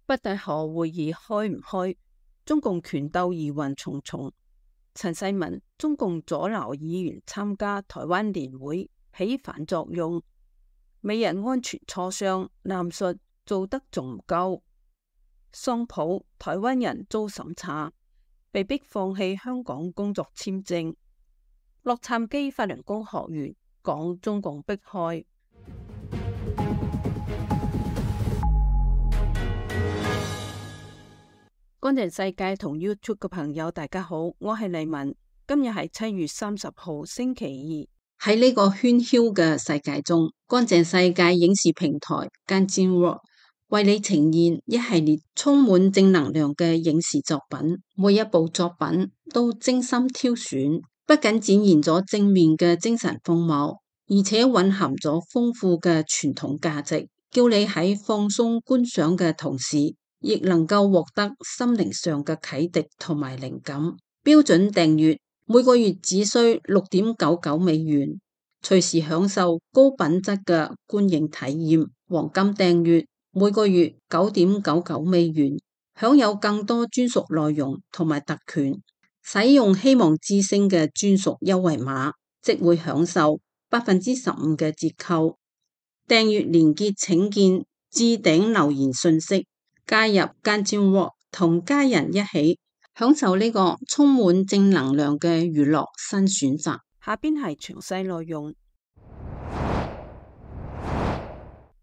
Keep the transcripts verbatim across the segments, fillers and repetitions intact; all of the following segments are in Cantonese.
北戴河會議開唔開？中共權鬥疑雲重重。陳世文，中共阻撓議員參加台灣年會，起反作用。美日安全磋商，南述做得仲唔夠？桑普，台灣人遭審查，被逼放棄香港工作簽證。洛杉磯法輪功學員講中共迫害。乾淨世界同 YouTube 嘅朋友大家好，我係麗文。今日係七月三十號星期二。喺呢個喧囂嘅世界中，乾淨世界影視平台 Ganjin World 為你呈現一系列充滿正能量嘅影視作品，每一部作品都精心挑選，不僅展現咗正面嘅精神風貌，而且蘊含咗豐富嘅傳統價值，叫你喺放鬆觀賞嘅同時，亦能夠獲得心靈上嘅啟迪同埋靈感。標準訂閱每個月只需六點九九美元，隨時享受高品質嘅觀影體驗。黃金訂閱每個月九點九九美元，享有更多專屬內容同埋特權。使用希望之聲嘅專屬優惠碼，即會享受百分之十五嘅折扣。訂閱連結請見置頂留言信息。加入 Ganjin World 同家人一起享受呢個充滿正能量嘅娛樂新選擇。下邊係詳細內容。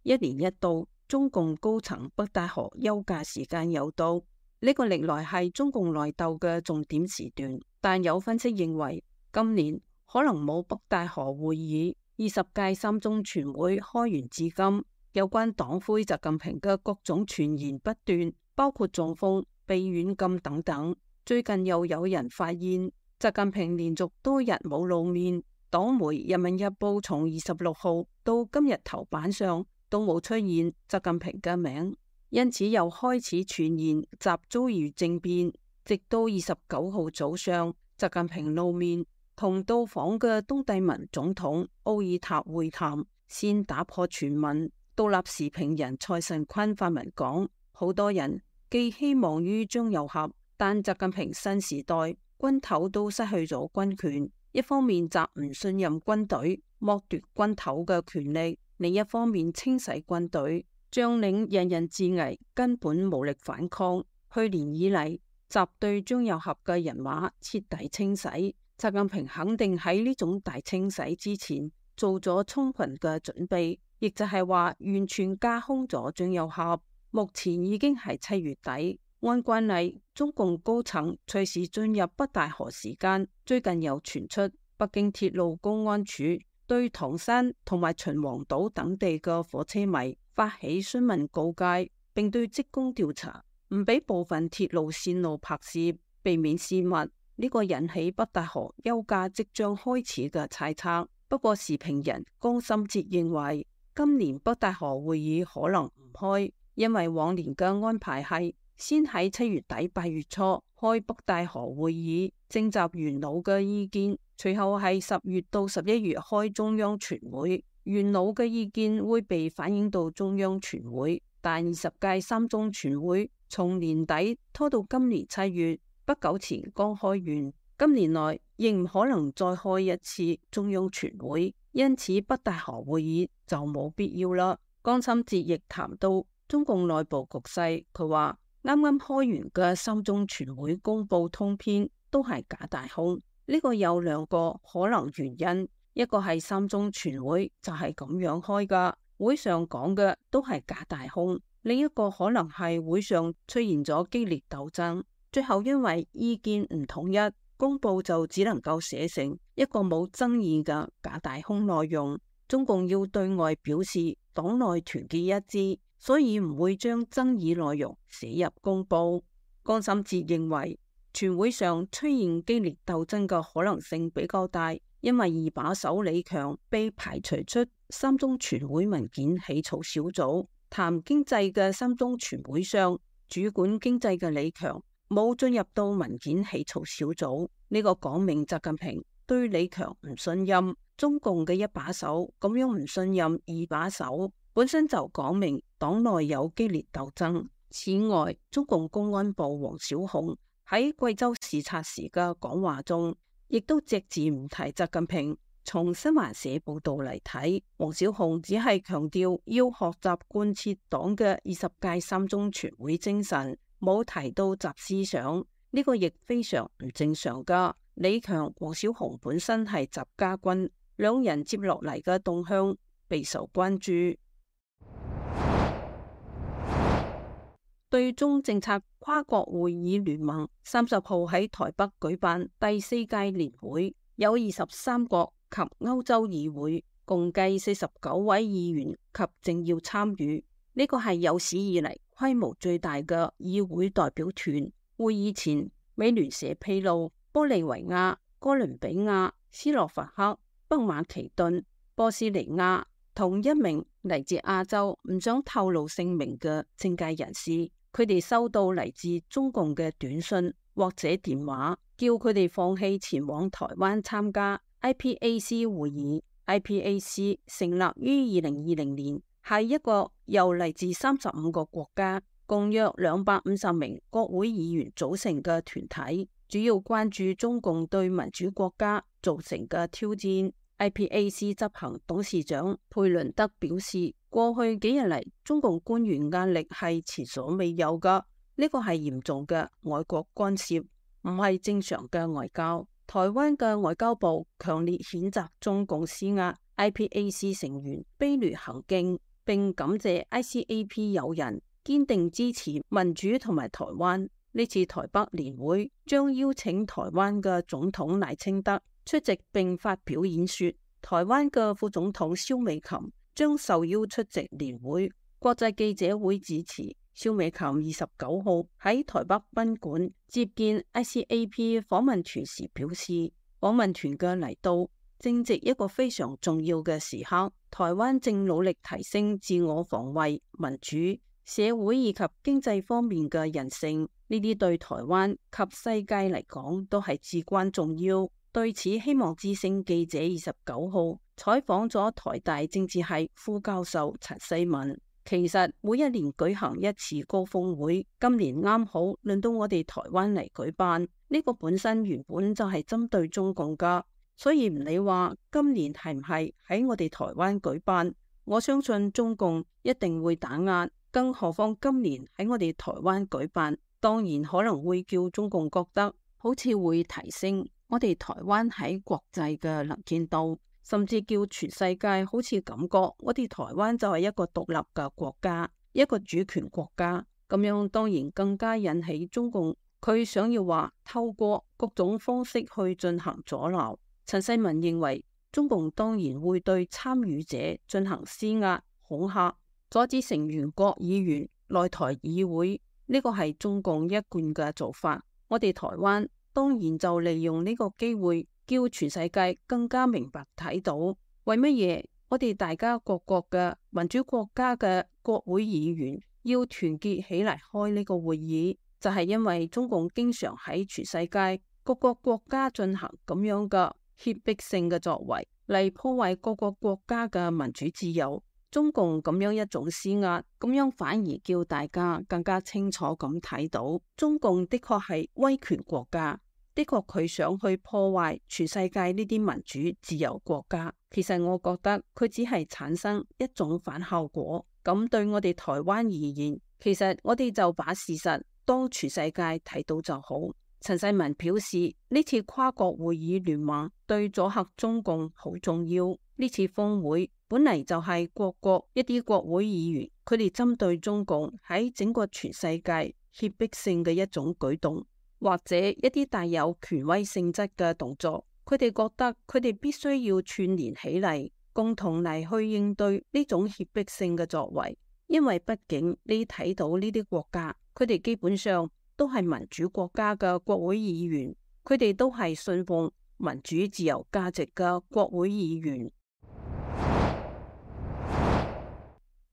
一年一度，中共高層北戴河休假時間又到，呢個歷來係中共內鬥嘅重點時段。但有分析認為，今年可能冇北戴河會議。二十屆三中全會開完至今，有關黨魁習近平嘅各種傳言不斷，包括中風、被軟禁等等。最近又有人發現，習近平連續多日冇露面。黨媒《人民日報》從二十六號到今日頭版上都冇出現習近平嘅名，因此又開始傳言習遭遇政變。直到二十九號早上，習近平露面，同到訪嘅東帝汶總統奧爾塔會談，先打破傳聞。獨立時評人蔡慎坤發文講，好多人寄希望於張又俠，但習近平新時代軍頭都失去咗軍權，一方面習唔信任軍隊，剝奪軍頭嘅權力，另一方面清洗軍隊，將領人人自危，根本無力反抗。去年以嚟，習對張又俠嘅人馬徹底清洗，習近平肯定喺呢種大清洗之前做咗充分嘅準備。亦就係話完全架空咗張又俠。目前已經係七月底，按慣例，中共高層隨時進入北戴河時間。最近又傳出北京鐵路公安處對唐山同埋秦皇島等地嘅火車迷發起詢問告誡，並對職工調查，唔俾部分鐵路線路拍攝，避免泄密。呢、這個引起北戴河休假即將開始嘅猜測。不過時評人江心哲認為，今年北戴河會議可能唔開，因為往年嘅安排係先喺七月底八月初開北戴河會議，徵集元老嘅意見，隨後係十月到十一月開中央全會，元老嘅意見會被反映到中央全會。但二十屆三中全會從年底拖到今年七月，不久前剛開完，今年內仍唔可能再開一次中央全會。因此北戴河會議就冇必要啦。江心哲亦談到中共內部局勢，佢話啱啱開完嘅三中全會公布通篇都係假大空。呢個有兩個可能原因，一個係三中全會就係咁樣開噶，會上講嘅都係假大空；另一個可能係會上出現咗激烈鬥爭，最後因為意見唔統一，公布就只能夠寫成一個冇爭議嘅假大空內容。中共要對外表示黨內團結一致，所以唔會將爭議內容寫入公布。江心哲認為，全會上出現激烈鬥爭嘅可能性比較大，因為二把手李強被排除出三中全會文件起草小組。談經濟嘅三中全會上，主管經濟嘅李強冇進入到文件起草小組，呢、這個講明習近平對李強唔信任。中共嘅一把手咁樣唔信任二把手，本身就講明黨內有激烈鬥爭。此外，中共公安部王小洪喺貴州視察時嘅講話中，亦都隻字唔提習近平。從新華社報道嚟睇，王小洪只係強調要學習貫徹黨嘅二十屆三中全會精神，冇提到習思想，呢個亦非常唔正常噶。李強、王小洪本身係習家軍，兩人接落嚟嘅動向備受關注。對中政策跨國會議聯盟三十號喺台北舉辦第四屆年會，有二十三國及歐洲議會共計四十九位議員及政要參與，呢個係有史以嚟規模最大嘅議會代表團。會議前，美聯社披露，玻利維亞、哥倫比亞、斯洛伐克、北馬其頓、波斯尼亞同一名嚟自亞洲唔想透露姓名嘅政界人士，佢哋收到嚟自中共嘅短信或者電話，叫佢哋放棄前往台灣參加 I P A C 會議。I P A C 成立於二零二零年，係一個由嚟自三十五個國家，共約兩百五十名國會議員組成嘅團體，主要關注中共對民主國家造成嘅挑戰。I P A C 執行董事長佩倫德表示，過去幾日嚟，中共官員壓力係前所未有噶，呢個係嚴重嘅外國干涉，唔係正常嘅外交。台灣嘅外交部強烈譴責中共施壓 I P A C 成員卑劣行徑，並感謝 I C A P 友人堅定支持民主同埋台灣。呢次台北年會將邀請台灣嘅總統賴清德出席並發表演說，台灣嘅副總統蕭美琴將受邀出席年會。國際記者會致辭，蕭美琴二十九號喺台北賓館接見 I C A P 訪問團時表示，訪問團嘅嚟到正值一個非常重要嘅時刻，台灣正努力提升自我防衛、民主、社會以及經濟方面嘅韌性，呢啲對台灣及世界嚟講都係至關重要。對此，希望之聲記者二十九號採訪咗台大政治系副教授陳世文。其實每一年舉行一次高峰會，今年啱好輪到我哋台灣嚟舉辦，呢個本身原本就係針對中共噶，所以唔理話今年係唔係喺我哋台灣舉辦，我相信中共一定會打壓，更何況今年喺我哋台灣舉辦，當然可能會叫中共覺得好似會提升我哋台灣喺國際嘅能見度，甚至叫全世界好似感覺我哋台灣就係一個獨立嘅國家，一個主權國家，咁樣當然更加引起中共佢想要話透過各種方式去進行阻撓。陳世文認為，中共當然會對參與者進行施壓、恐嚇，阻止成員國議員來台議會，呢個係中共一貫嘅做法。我哋台灣當然就利用呢個機會，叫全世界更加明白睇到，為乜嘢我哋大家各國嘅民主國家嘅國會議員要團結起嚟開呢個會議，就係因為中共經常喺全世界各個國家進行咁樣嘅脅迫性嘅作為，嚟破壞各個國家嘅民主自由。中共咁樣一種施壓，咁樣反而叫大家更加清楚咁睇到，中共的確係威權國家。的確佢想去破壞全世界呢啲民主自由國家，其實我覺得佢只係產生一種反效果。咁對我哋台灣而言，其實我哋就把事實當全世界睇到就好。陳世文表示，呢次跨國會議聯盟對阻嚇中共好重要。呢次峰會本嚟就係各國一啲國會議員，佢哋針對中共喺整個全世界脅迫性嘅一種舉動，或者一啲帶有權威性質嘅動作，佢哋覺得佢哋必須要串聯起嚟，共同嚟去應對呢種脅迫性嘅作為。因為畢竟你睇到呢啲國家，佢哋基本上都係民主國家嘅國會議員，佢哋都係信奉民主自由價值嘅國會議員。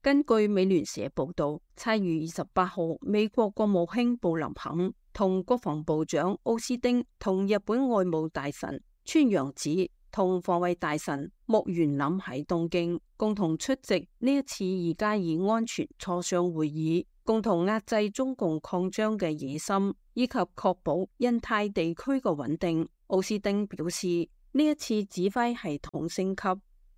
根據美聯社報道，七月二十八號，美國國務卿布林肯同國防部長奧斯汀同日本外務大臣川洋子同防衛大臣木原稔喺東京共同出席呢一次二加二安全磋商會議。共同壓制中共擴張嘅野心，以及確保印太地區嘅穩定。奧斯汀表示，呢一次指揮系統升級，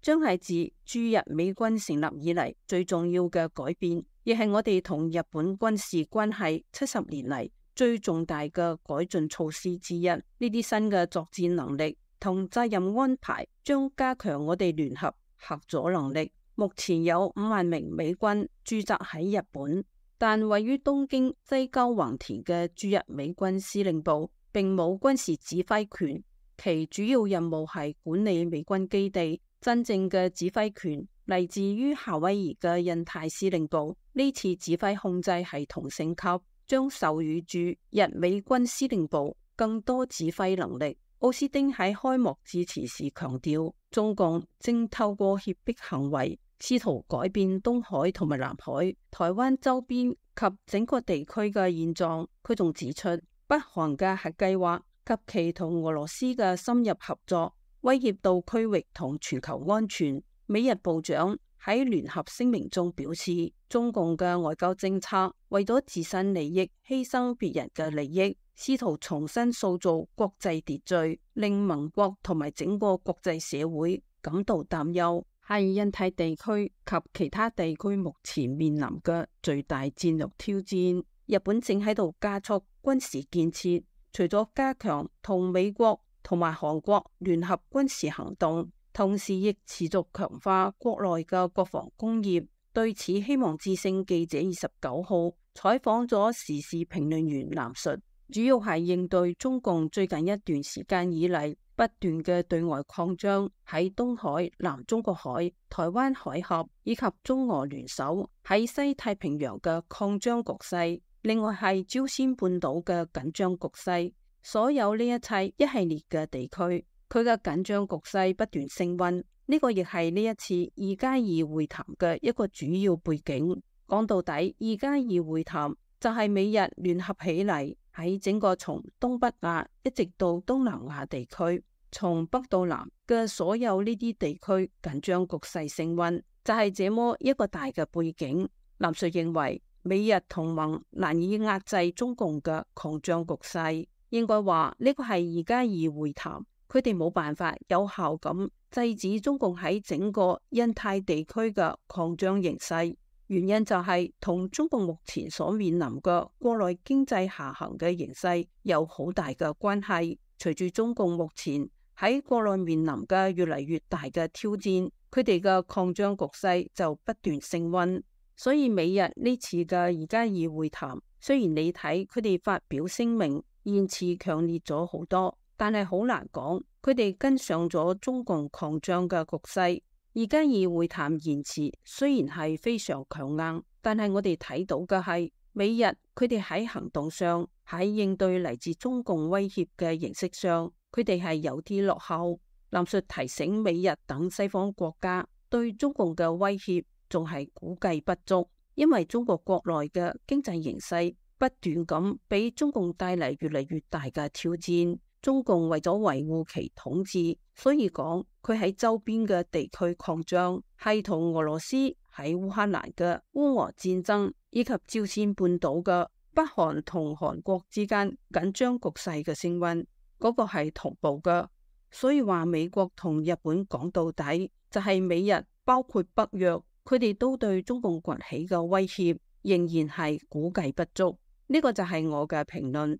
將係自駐日美軍成立以嚟最重要嘅改變，亦係我哋同日本軍事關係七十年嚟最重大嘅改進措施之一。呢啲新嘅作戰能力同責任安排將加強我哋聯合核阻能力。目前有五萬名美軍駐紮喺日本，但位於東京西郊橫田嘅駐日美軍司令部並冇軍事指揮權，其主要任務係管理美軍基地。真正嘅指揮權嚟自於夏威夷嘅印太司令部。呢次指揮控制系統升級，將授予駐日美軍司令部更多指揮能力。奧斯汀喺開幕致辭時強調，中共正透過脅迫行為試圖改變東海同埋南海、台灣周邊及整個地區嘅現狀。佢仲指出，北韓嘅核計劃及其同俄羅斯嘅深入合作威脅到區域同全球安全。美日部長喺聯合聲明中表示，中共嘅外交政策為咗自身利益犧牲別人嘅利益，試圖重新塑造國際秩序，令盟國同埋整個國際社會感到擔憂，係印太地區及其他地區目前面臨嘅最大戰略挑戰。日本正喺度加速軍事建設，除咗加強同美國同埋韓國聯合軍事行動，同時亦持續強化國內嘅國防工業。對此，希望之聲記者二十九號採訪咗時事評論員藍述，主要係應對中共最近一段時間以嚟不斷嘅對外擴張，喺東海、南中國海、台灣海峽以及中俄聯手喺西太平洋嘅擴張局勢，另外係朝鮮半島嘅緊張局勢。所有呢一切一系列嘅地區，佢嘅緊張局勢不斷升溫，呢個亦係呢一次二加二會談嘅一個主要背景。講到底，二加二會談就係美日聯合起嚟，喺整個從東北亞一直到東南亞地區，從北到南嘅所有呢啲地區緊張局勢升溫，就係這麼一個大嘅背景。藍述認為，美日同盟難以壓制中共嘅擴張局勢。應該話呢個係二加二會談，佢哋冇辦法有效咁制止中共喺整個印太地區嘅擴張形勢。原因就係同中共目前所面臨嘅國內經濟下行嘅形勢有好大嘅關係。隨住中共目前喺國內面臨嘅越嚟越大嘅挑戰，佢哋嘅擴張局勢就不斷升溫。所以美日呢次嘅二加二會談，雖然你睇佢哋發表聲明言辭強烈咗好多，但係好難講佢哋跟上咗中共擴張嘅局勢。二加二會談言辭雖然係非常強硬，但係我哋睇到嘅係美日佢哋喺行動上，喺應對嚟自中共威脅嘅形式上，佢哋係有啲落後。藍述提醒美日等西方國家對中共嘅威脅仲係估計不足，因為中國國內嘅經濟形勢不斷咁俾中共帶嚟越嚟越大嘅挑戰。中共為咗維護其統治，所以講佢喺周邊嘅地區擴張，係同俄羅斯喺烏克蘭嘅烏俄戰爭，以及朝鮮半島嘅北韓同韓國之間緊張局勢嘅升溫，嗰個係同步嘅。所以話美國同日本講到底就係美日，包括北約，佢哋都對中共崛起嘅威脅仍然係估計不足。呢個就係我嘅評論。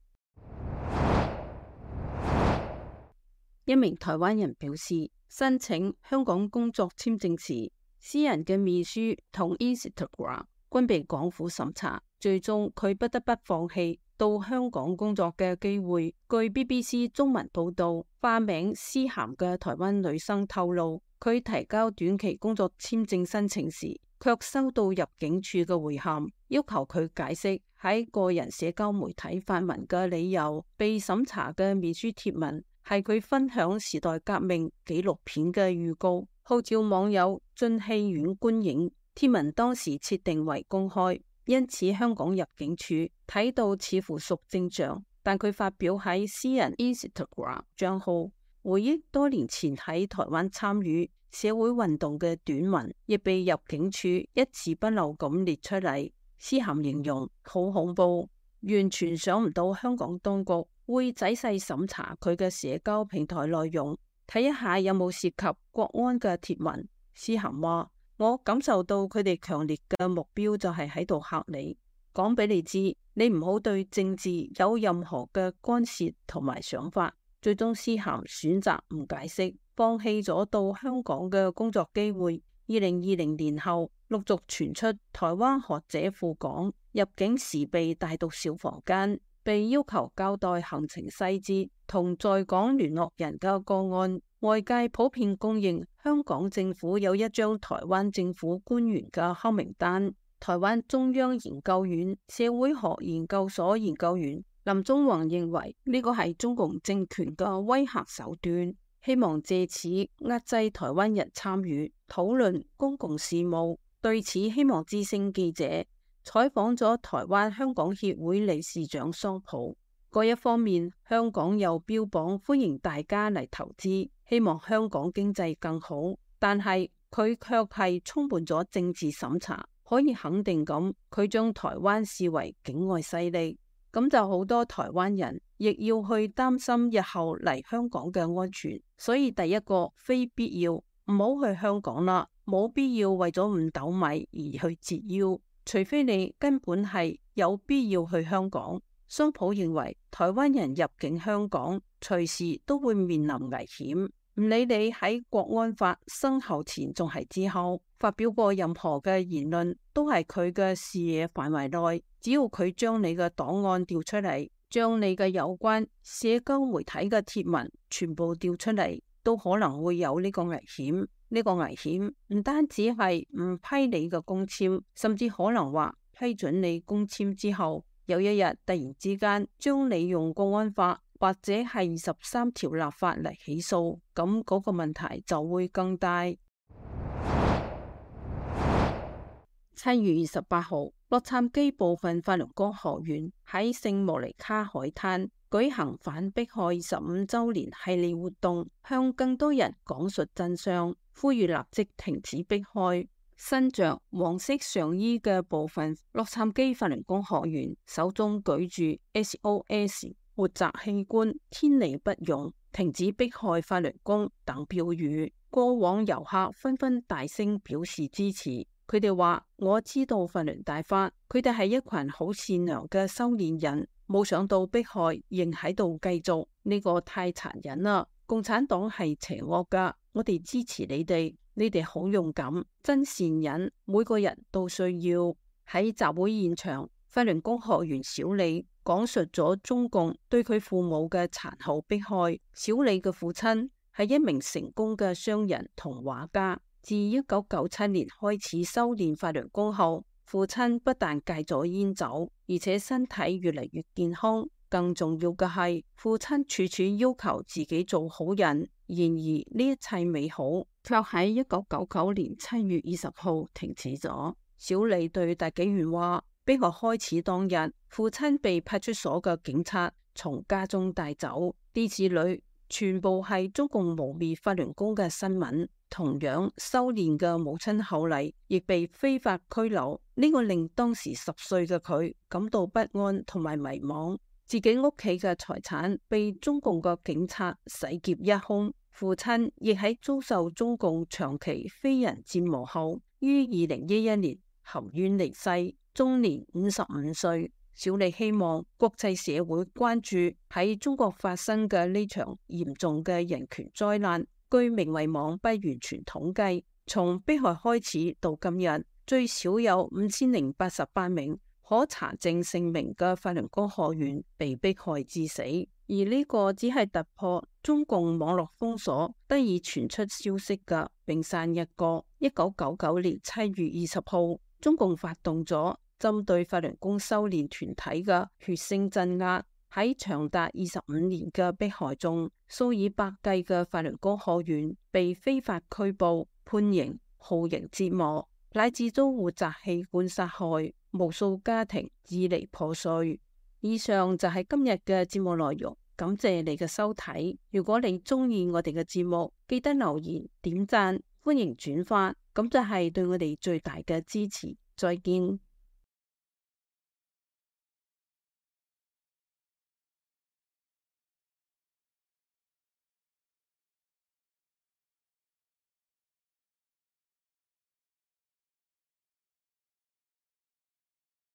一名台灣人表示，申請香港工作簽證時，私人嘅面書同 Instagram 均被港府審查，最終佢不得不放棄到香港工作嘅機會。據 B B C 中文報道，化名思涵嘅台灣女生透露，佢提交短期工作簽證申請時，卻收到入境處嘅回函，要求佢解釋喺個人社交媒體發文嘅理由。被審查嘅面書貼文係佢分享時代革命紀錄片嘅預告，號召網友進戲院觀影。貼文當時設定為公開，因此香港入境處睇到似乎屬正常。但佢發表喺私人 Instagram 賬號，回憶多年前喺台灣參與社會運動嘅短文，亦被入境處一字不漏咁列出嚟。思涵形容好恐怖，完全想唔到香港當局會仔細審查佢嘅社交平台內容，睇一下有冇涉及國安嘅貼文。思涵話：我感受到佢哋強烈嘅目標就係喺度嚇你，講俾你知，你唔好對政治有任何嘅干涉同埋想法。最終思涵選擇唔解釋，放棄咗到香港嘅工作機會。二零二零年後陸續傳出台灣學者赴港入境時被帶到小房間，被要求交代行程細節同在港聯絡人嘅個案。外界普遍公認香港政府有一張台灣政府官員嘅黑名單。台灣中央研究院社會學研究所研究員林宗宏認為呢個係中共政權嘅威嚇手段，希望借此壓制台灣人參與討論公共事務。對此，希望之聲記者採訪咗台灣香港協會理事長桑普。嗰一方面，香港又標榜歡迎大家嚟投資，希望香港經濟更好，但係佢卻係充滿咗政治審查。可以肯定咁，佢將台灣視為境外勢力。咁就好多台灣人亦要去擔心日後嚟香港嘅安全，所以第一個非必要唔好去香港啦，冇必要為咗五斗米而去折腰，除非你根本係有必要去香港。桑普認為台灣人入境香港隨時都會面臨危險，唔理你喺國安法生效前仲係之後發表過任何嘅言論，都係佢嘅視野範圍內。只要佢將你嘅檔案調出嚟，將你嘅有關社交媒體嘅貼文全部調出嚟，都可能會有呢個危險。呢個危險唔單止係唔批你嘅工簽，甚至可能話批准你工簽之後，有一日突然之間將你用國安法或者係二十三條立法嚟起訴，咁嗰個問題就會更大。七月二十八號，洛杉磯部分法輪功學院喺聖莫尼卡海灘舉行反迫害十五周年系列活動，向更多人講述真相，呼籲立即停止迫害。身着黃色上衣嘅部分洛杉磯法輪功學員手中舉住 S O S 活摘器官，天理不容，停止迫害法輪功等標語。過往遊客紛紛大聲表示支持。佢哋話：我知道法輪大法，佢哋係一群好善良嘅修煉人，冇想到迫害仍喺度繼續，呢個太殘忍啦！共產黨係邪惡噶，我哋支持你哋，你哋好勇敢，真善忍，每個人都需要。喺集會現場，法輪功學員小李講述咗中共對佢父母嘅殘酷迫害。小李嘅父親係一名成功嘅商人同畫家。自一九九七年開始修煉法輪功後，父親不但戒咗煙酒，而且身體越嚟越健康。更重要嘅係，父親處處要求自己做好人。然而呢一切美好，卻喺一九九九年七月二十號停止咗。小李對大紀元話：迫害開始當日，父親被派出所嘅警察從家中帶走，啲子女全部係中共污衊法輪功嘅新聞。同樣修煉嘅母親後嚟亦被非法拘留，呢個令當時十歲嘅佢感到不安同埋迷茫。自己屋企嘅財產被中共嘅警察洗劫一空，父親亦喺遭受中共長期非人折磨後，於二零一一年含冤離世，終年五十五歲。小李希望國際社會關注喺中國發生嘅呢場嚴重嘅人權災難。據明慧網不完全統計，從迫害開始到今日，最少有五千零八十八名可查證姓名嘅法輪功學員被迫害致死。而呢個只係突破中共網絡封鎖得以傳出消息嘅冰山一角。一九九九年七月二十號，中共發動咗針對法輪功修煉團體嘅血腥鎮壓。喺長達二十五年嘅迫害中，數以百計嘅法輪功學員被非法拘捕、判刑、酷刑折磨，乃至遭活摘器官殺害，無數家庭支離破碎。以上就係今日嘅節目內容，感謝你嘅收睇。如果你中意我哋嘅節目，記得留言、點讚、歡迎轉發，咁就係對我哋最大嘅支持。再見。